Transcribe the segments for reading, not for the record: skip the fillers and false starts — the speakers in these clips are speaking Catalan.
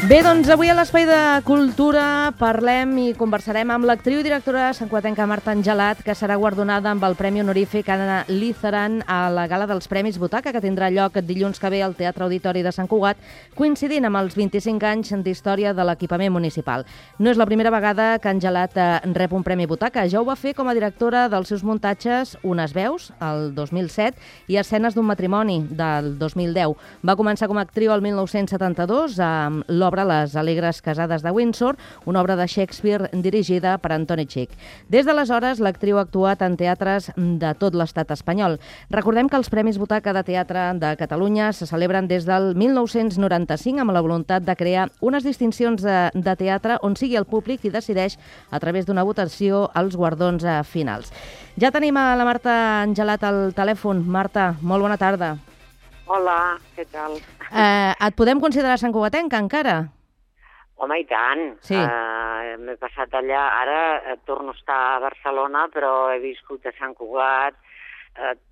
Bé, doncs avui a l'Espai de Cultura parlem i conversarem amb l'actriu i directora santcugatenca Marta Angelat, que serà guardonada amb el Premi Honorífic Anna Lizaran a la Gala dels Premis Butaca, que tindrà lloc dilluns que ve al Teatre Auditori de Sant Cugat, coincidint amb els 25 anys d'història de l'equipament municipal. No és la primera vegada que Angelat rep un Premi Butaca. Ja ho va fer com a directora dels seus muntatges Unes veus, el 2007, i Escenes d'un matrimoni, del 2010. Va començar com a actriu el 1972 amb l'obra Les alegres casades de Windsor, una obra de Shakespeare dirigida per Antoni Xic. Des d'aleshores, l'actriu ha actuat en teatres de tot l'estat espanyol. Recordem que els Premis Butaca de Teatre de Catalunya se celebren des del 1995 amb la voluntat de crear unes distincions de teatre on sigui el públic qui decideix a través d'una votació els guardons finals. Ja tenim a la Marta Angelat al telèfon. Marta, molt bona tarda. Hola, què tal? Et podem considerar santcugatenca encara? Home, i tant. Sí. M'he passat allà. Ara torno a estar a Barcelona, però he viscut a Sant Cugat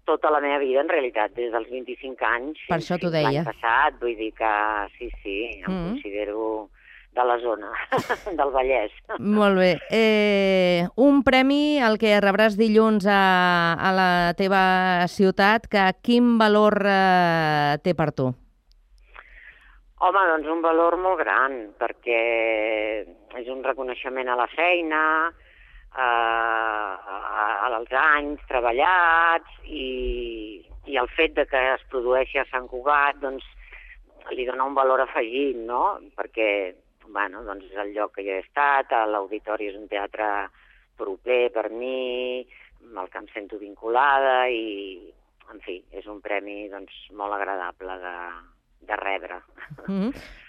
tota la meva vida, en realitat, des dels 25 anys. Per això t'ho deia. L'any passat, vull dir que sí, em considero de la zona, del Vallès. Molt bé. Un premi, el que rebràs dilluns a la teva ciutat, que quin valor té per tu? Home, doncs un valor molt gran, perquè és un reconeixement a la feina, als anys treballats, i el fet de que es produeixi a Sant Cugat, doncs, li dona un valor afegit, no? Perquè bueno, doncs és el lloc que jo he estat, l'Auditori és un teatre proper per mi, amb el que em sento vinculada i, en fi, és un premi doncs, molt agradable de rebre.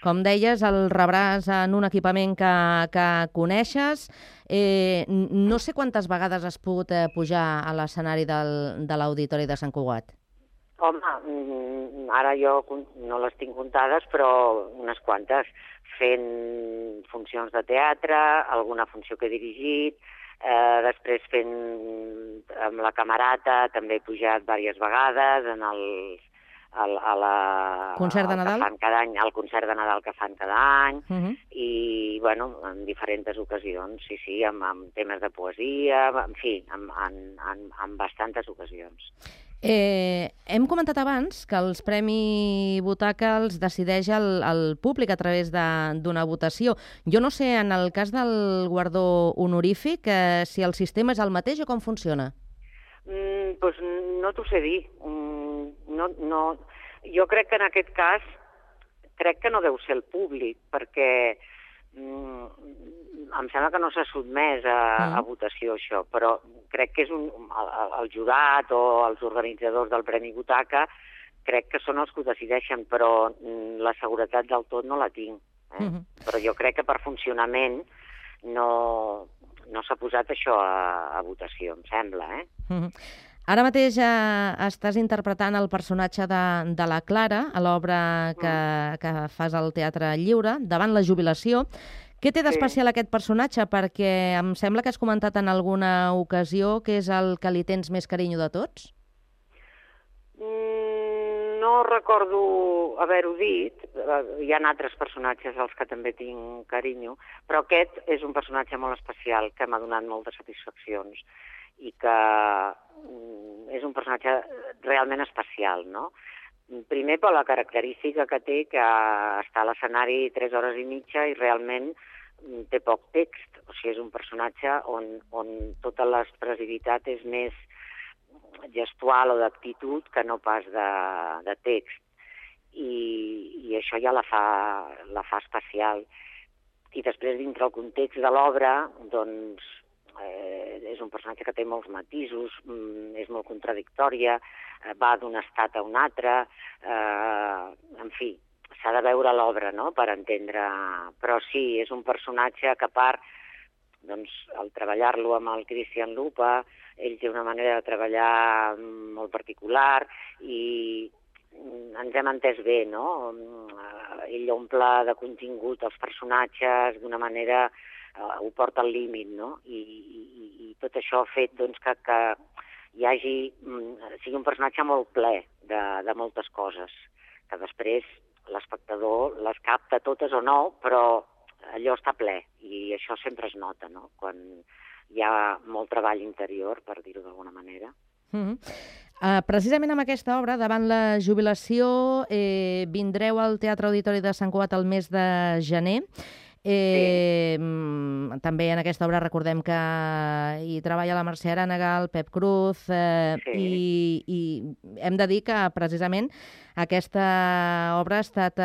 Com deies, el rebràs en un equipament que coneixes. No sé quantes vegades has pogut pujar a l'escenari de l'Auditori de Sant Cugat. Home, ara jo no les tinc comptades, però unes quantes, fent funcions de teatre, alguna funció que he dirigit, després fent amb la Camerata, també he pujat diverses vegades a la concert de Nadal? Al concert de Nadal que fan cada any, i bueno, en diferents ocasions, sí, amb temes de poesia, en fi, en bastantes ocasions. Hem comentat abans que els Premi Butaca els decideix el públic a través d'una votació. Jo no sé, en el cas del guardó honorífic, si el sistema és el mateix o com funciona? Doncs no t'ho sé dir. No. Jo crec que en aquest cas no deu ser el públic, perquè em sembla que no s'ha sotmès a votació això, però crec que és el jurat o els organitzadors del Premi Butaca crec que són els que ho decideixen, però la seguretat del tot no la tinc. Però jo crec que per funcionament no s'ha posat això a votació, em sembla. Ara mateix estàs interpretant el personatge de la Clara a l'obra que fas al Teatre Lliure, davant la jubilació. Què té d'especial aquest personatge? Perquè em sembla que has comentat en alguna ocasió que és el que li tens més carinyo de tots. No recordo haver-ho dit. Hi ha altres personatges als que també tinc carinyo, però aquest és un personatge molt especial que m'ha donat moltes satisfaccions i que és un personatge realment especial, no? Primer per la característica que té, que està a l'escenari 3 hores i mitja i realment té poc text. O sigui, és un personatge on tota l'expressivitat és més gestual o d'actitud que no pas de text. I això ja la fa especial. I després, dintre el context de l'obra, doncs, és un personatge que té molts matisos, és molt contradictòria, va d'un estat a un altre, en fi, s'ha de veure l'obra, no?, per entendre. Però sí, és un personatge que a part, doncs, al treballar-lo amb el Cristian Lupa, ell té una manera de treballar molt particular i ens hem entès bé, no? Ell omple de contingut els personatges d'una manera, ho porta al límit, no? I tot això ha fet doncs, que sigui un personatge molt ple de moltes coses, que després l'espectador les capta totes o no, però allò està ple, i això sempre es nota, no?, quan hi ha molt treball interior, per dir-ho d'alguna manera. Precisament amb aquesta obra, davant la jubilació, vindreu al Teatre Auditori de Sant Cugat el mes de gener. També en aquesta obra recordem que hi treballa la Mercè Arànega, el Pep Cruz, i hem de dir que precisament aquesta obra ha estat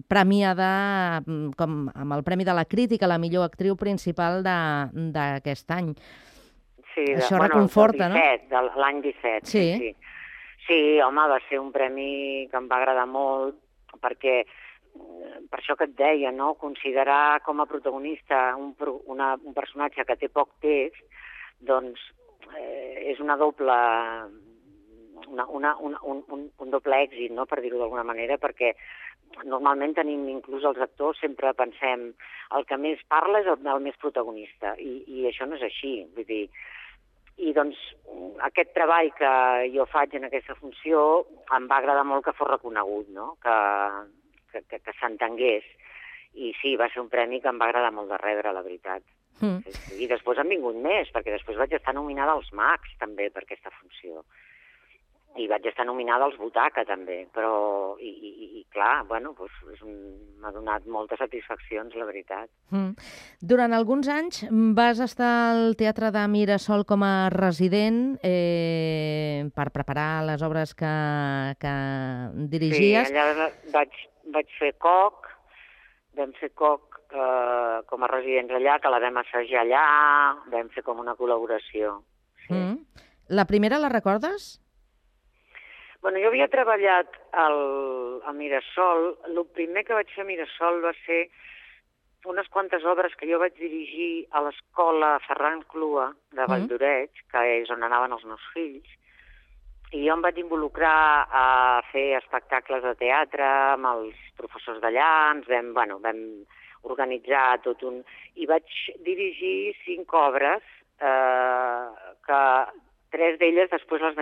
premiada com amb el Premi de la Crítica, la millor actriu principal d'aquest any. Sí, això reconforta, no? L'any 17, sí. Sí, home, va ser un premi que em va agradar molt, perquè per això que et deia, no?, considerar com a protagonista un personatge que té poc text, doncs és un doble èxit, no?, per dir-ho d'alguna manera, perquè normalment tenim, inclús els actors, sempre pensem el que més parla és el més protagonista, i això no és així, vull dir. I doncs aquest treball que jo faig en aquesta funció em va agradar molt que fos reconegut, no?, que s'entengués. I sí, va ser un premi que em va agradar molt de rebre, la veritat. I després han vingut més, perquè després vaig estar nominada als Mags, també, per aquesta funció. I vaig estar nominada als Butaca, també. Però, i clar, bueno, doncs m'ha donat moltes satisfaccions, la veritat. Durant alguns anys vas estar al Teatre de Mirasol com a resident per preparar les obres que dirigies. Sí, allà vaig fer Coc, vam fer Coc com a residents allà, que la vam assajar allà, vam fer com una col·laboració. La primera la recordes? Bueno, jo havia treballat a Mirasol. El primer que vaig fer a Mirasol va ser unes quantes obres que jo vaig dirigir a l'escola Ferran Clua de Valldoreix, que és on anaven els meus fills, i jo em vaig involucrar a fer espectacles de teatre amb els professors d'allà, vam organitzar tot un... I vaig dirigir 5 obres que 3 d'elles després on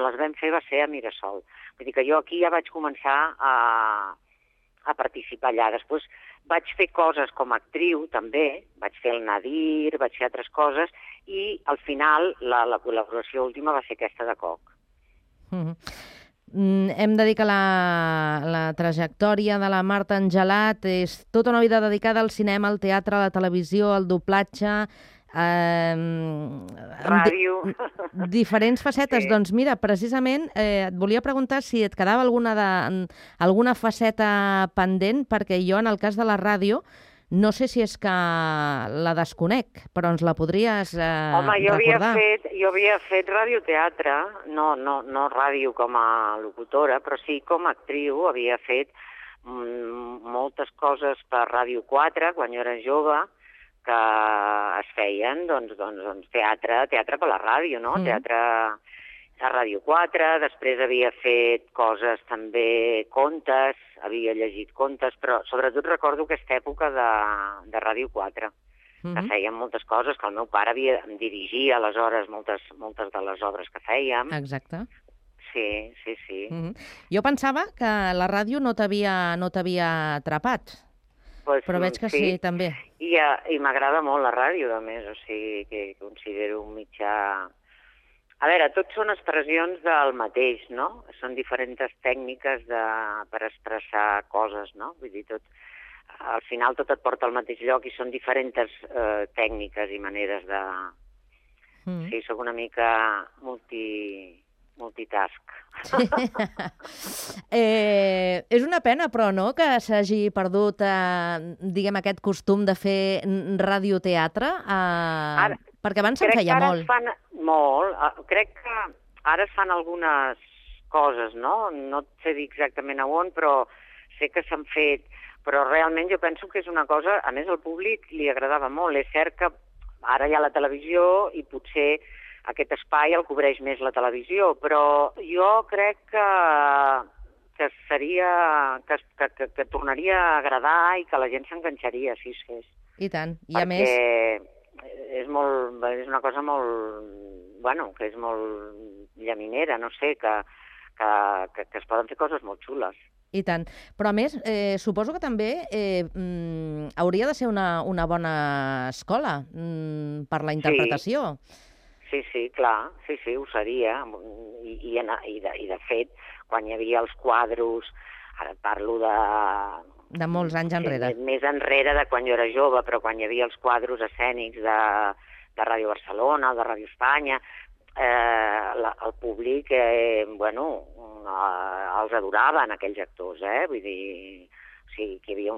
les vam fer va ser a Mirasol. Vull dir que jo aquí ja vaig començar a participar allà. Després vaig fer coses com a actriu, també. Vaig fer el Nadir, vaig fer altres coses, i al final la col·laboració última va ser aquesta de Coc. Hem de dir que la trajectòria de la Marta Angelat és tota una vida dedicada al cinema, al teatre, a la televisió, al doblatge, ràdio. Diferents facetes. Sí. Doncs mira, precisament et volia preguntar si et quedava alguna faceta pendent, perquè jo en el cas de la ràdio no sé si és que la desconec, però ens la podries recordar. Home, jo havia fet radioteatre, no ràdio com a locutora, però sí com a actriu. Havia fet moltes coses per Ràdio 4, quan jo era jove, que es feien teatre per la ràdio, no? Teatre a Ràdio 4, després havia fet coses també, contes, havia llegit contes, però sobretot recordo aquesta època de Ràdio 4, que fèiem moltes coses, que el meu pare em dirigia aleshores moltes de les obres que fèiem. Exacte. Sí. Jo pensava que la ràdio no t'havia atrapat, però veig que sí, també. I m'agrada molt la ràdio, a més, o sigui que considero un mitjà... A veure, tots són expressions del mateix, no? Són diferents tècniques per expressar coses, no? Vull dir, al final tot et porta al mateix lloc i són diferents tècniques i maneres de... Sí, sóc una mica multitask. És una pena, però, no?, que s'hagi perdut, diguem, aquest costum de fer radioteatre, perquè abans se'n feia molt. Crec que ara es fan algunes coses, no? No et sé dir exactament a on, però sé que s'han fet. Però realment jo penso que és una cosa... A més, al públic li agradava molt. És cert que ara hi ha la televisió i potser aquest espai el cobreix més la televisió, però jo crec que que tornaria a agradar i que la gent s'enganxaria si es fes. I tant. I a més... És una cosa molt... Bueno, que és molt llaminera, no sé, que es poden fer coses molt xules. I tant. Però a més, suposo que també hauria de ser una bona escola per la interpretació. Sí, clar, sí, ho seria. I de fet, quan hi havia els quadros, ara parlo de molts anys enrere. Més enrere de quan jo era jove, però quan hi havia els quadros escènics de Ràdio Barcelona, de Ràdio Espanya, el públic, els adoraven, aquells actors, Vull dir, sí, que hi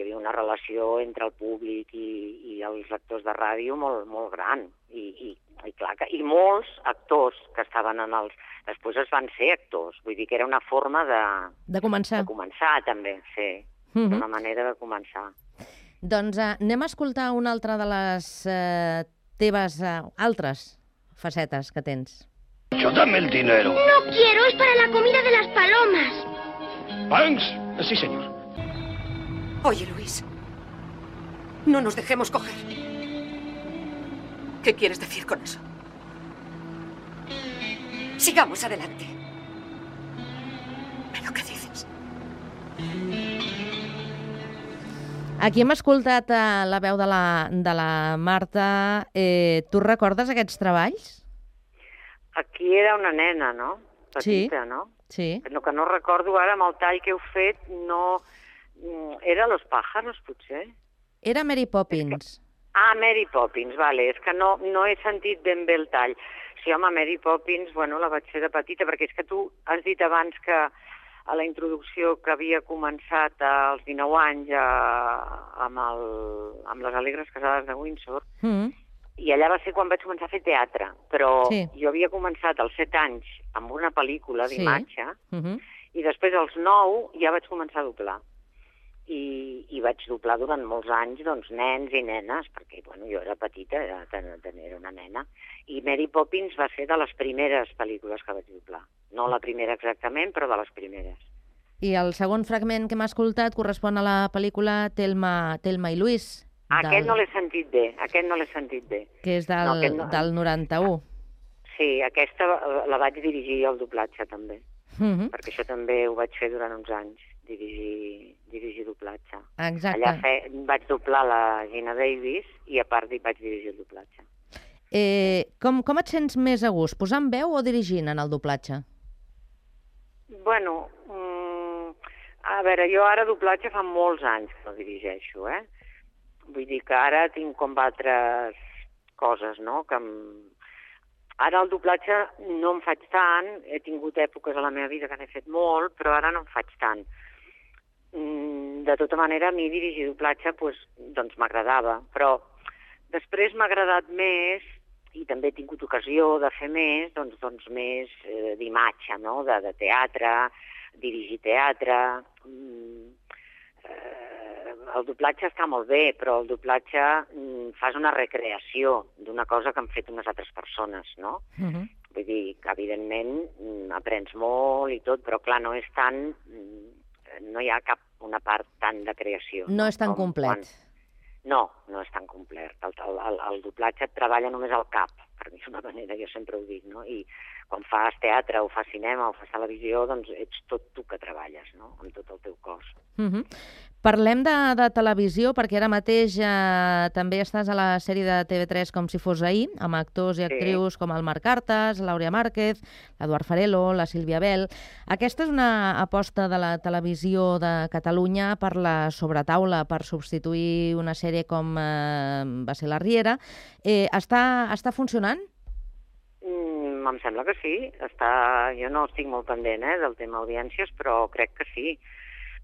havia una relació entre el públic i els actors de ràdio molt gran. I clar, i molts actors que estaven en els... Després es van ser actors, vull dir que era una forma de començar. De començar, també, sí. Una manera de començar. Doncs anem a escoltar una altra de les teves altres facetes que tens. Yo dame el dinero. No quiero, es para la comida de las palomas. ¿Banks? Sí, señor. Oye, Luis, no nos dejemos coger. ¿Qué quieres decir con eso? Sigamos adelante. ¿Pero qué dices? Aquí hem escoltat la veu de la Marta. Tu recordes aquests treballs? Aquí era una nena, no? Petita, sí. No? Sí. Que no recordo ara, amb el tall que heu fet, no... Era Los pájaros, potser? Era Mary Poppins. Mary Poppins, vale. És que no he sentit ben bé el tall. Sí, home, Mary Poppins, la vaig fer de petita, perquè és que tu has dit abans que a la introducció que havia començat als 19 anys amb les Alegres Casades de Windsor, i allà va ser quan vaig començar a fer teatre, però jo havia començat als 7 anys amb una pel·lícula d'imatge, i després als 9 ja vaig començar a doblar. I vaig doblar durant molts anys nens i nenes, perquè jo era petita, era una nena, i Mary Poppins va ser de les primeres pel·lícules que vaig doblar. No la primera exactament, però de les primeres. I el segon fragment que m'ha escoltat correspon a la pel·lícula Thelma i Louise. Aquest no l'he sentit bé, Que és del 91. Sí, aquesta la vaig dirigir al doblatge també, perquè això també ho vaig fer durant uns anys, dirigir doblatge. Exacte. Allà vaig doblar la Gina Davis i a part vaig dirigir el doblatge. Com et sents més a gust, posant veu o dirigint en el doblatge? A veure, jo ara doblatge fa molts anys que no dirigeixo, Vull dir que ara tinc com altres coses, no? Ara el doblatge no em faig tant, he tingut èpoques a la meva vida que n'he fet molt, però ara no em faig tant. De tota manera, a mi dirigir doblatge doncs m'agradava, però després m'ha agradat més, i també he tingut ocasió de fer més, doncs més d'imatge, no? De teatre, dirigir teatre. El doblatge està molt bé, però el doblatge fas una recreació d'una cosa que han fet unes altres persones, no? Vull dir que, evidentment, aprens molt i tot, però, clar, no és tant... No hi ha una part tant de creació. No és tan complet. No és tan complet. El doblatge et treballa només al cap, per dir d'una manera, jo sempre ho dic, no? I quan fas teatre o fas cinema o fas televisió, doncs ets tot tu que treballes, no? Amb tot el teu cos. Parlem de televisió, perquè ara mateix també estàs a la sèrie de TV3 Com si fos ahir, amb actors i actrius com el Marc Artas, l'Àurea Márquez, l'Eduard Farelo, la Sílvia Bel. Aquesta és una aposta de la televisió de Catalunya per la sobretaula, per substituir una sèrie com va ser La Riera. Està funcionant? Em sembla que sí. Jo no estic molt pendent del tema audiències, però crec que sí.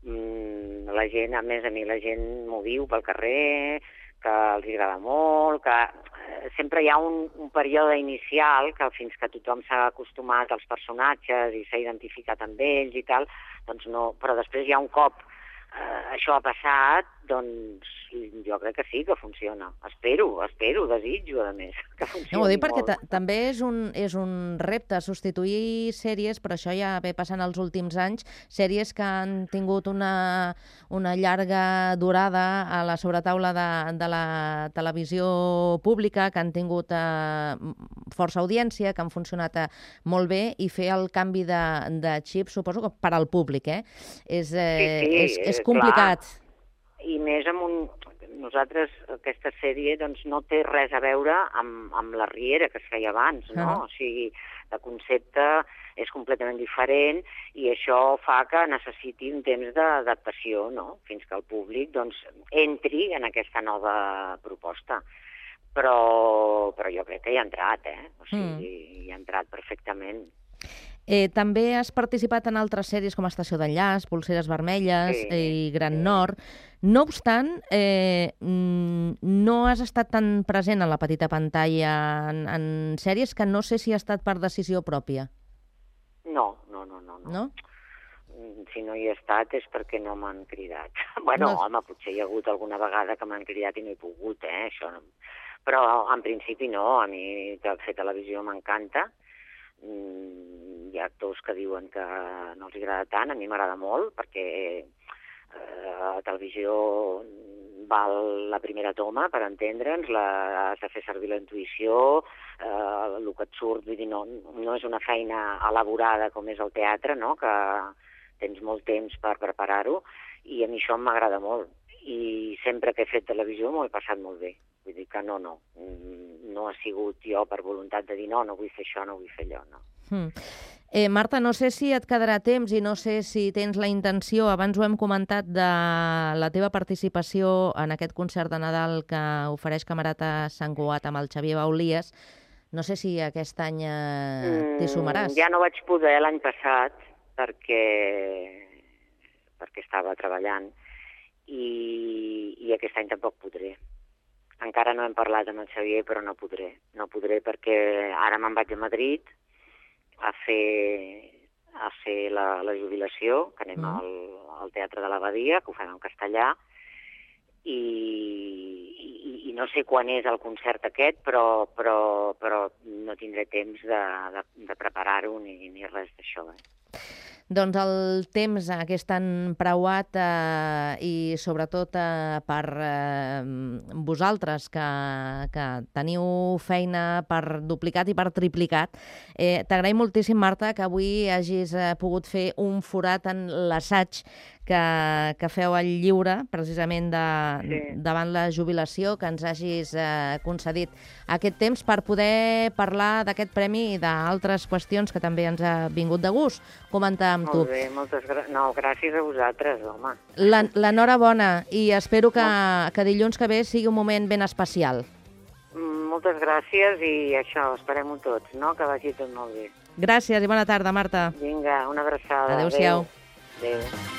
La gent, a més, a mi la gent m'ho diu pel carrer, que els agrada molt, que sempre hi ha un període inicial que fins que tothom s'ha acostumat als personatges i s'ha identificat amb ells i tal, doncs no, però després hi ha un cop això ha passat, doncs jo crec que sí que funciona. Espero, desitjo, a més, que funcioni Ho dic perquè molt. també és un repte substituir sèries, però això ja ve passant els últims anys, sèries que han tingut una llarga durada a la sobretaula de la televisió pública, que han tingut força audiència, que han funcionat molt bé, i fer el canvi de xip, suposo que per al públic, és complicat. Clar. I més nosaltres, aquesta sèrie doncs, no té res a veure amb la Riera que es feia abans, no? O sigui, el concepte és completament diferent i això fa que necessiti un temps d'adaptació, no? Fins que el públic doncs, entri en aquesta nova proposta. Però jo crec que hi ha entrat, O sigui, hi ha entrat perfectament. També has participat en altres sèries com Estació d'enllaç, Polseres vermelles i Gran Nord. No obstant, no has estat tan present en la petita pantalla en sèries que no sé si ha estat per decisió pròpia. No. No? Si no hi he estat és perquè no m'han cridat. Bueno, home, potser hi ha hagut alguna vegada que m'han cridat i no he pogut, això. Però en principi no, a mi fer televisió m'encanta. Hi ha actors que diuen que no els agrada tant, a mi m'agrada molt, perquè a televisió val la primera toma, per entendre'ns, has de fer servir la intuïció, el que et surt, vull dir, no és una feina elaborada com és el teatre, no?, que tens molt temps per preparar-ho, i a mi això m'agrada molt. I sempre que he fet televisió m'ho he passat molt bé. Vull dir que no ha sigut jo per voluntat de dir no vull fer això, no vull fer allò, no. Marta, no sé si et quedarà temps i no sé si tens la intenció, abans ho hem comentat, de la teva participació en aquest concert de Nadal que ofereix Camerata Sant Cugat amb el Xavier Baulies. No sé si aquest any t'hi sumaràs. Ja no vaig poder l'any passat perquè estava treballant i aquest any tampoc podré. Encara no hem parlat amb el Xavier, però no podré. No podré perquè ara me'n vaig a Madrid a fer la jubilació, que anem al Teatre de l'Abadia, que ho fem en castellà, i no sé quan és el concert aquest, però no tindré temps de preparar-ho ni res d'això. Doncs el temps aquest tan preuat i sobretot per vosaltres que teniu feina per duplicat i per triplicat. T'agraïm moltíssim, Marta, que avui hagis pogut fer un forat en l'assaig que feu al Lliure, precisament davant la jubilació, que ens hagis concedit aquest temps per poder parlar d'aquest premi i d'altres qüestions que també ens ha vingut de gust comentar amb tu. Molt bé, gràcies a vosaltres, home. L'enhorabona i espero que dilluns que ve sigui un moment ben especial. Moltes gràcies i això, esperem-ho tots, no? Que vagi tot molt bé. Gràcies i bona tarda, Marta. Vinga, una abraçada. Adéu-siau. Adéu.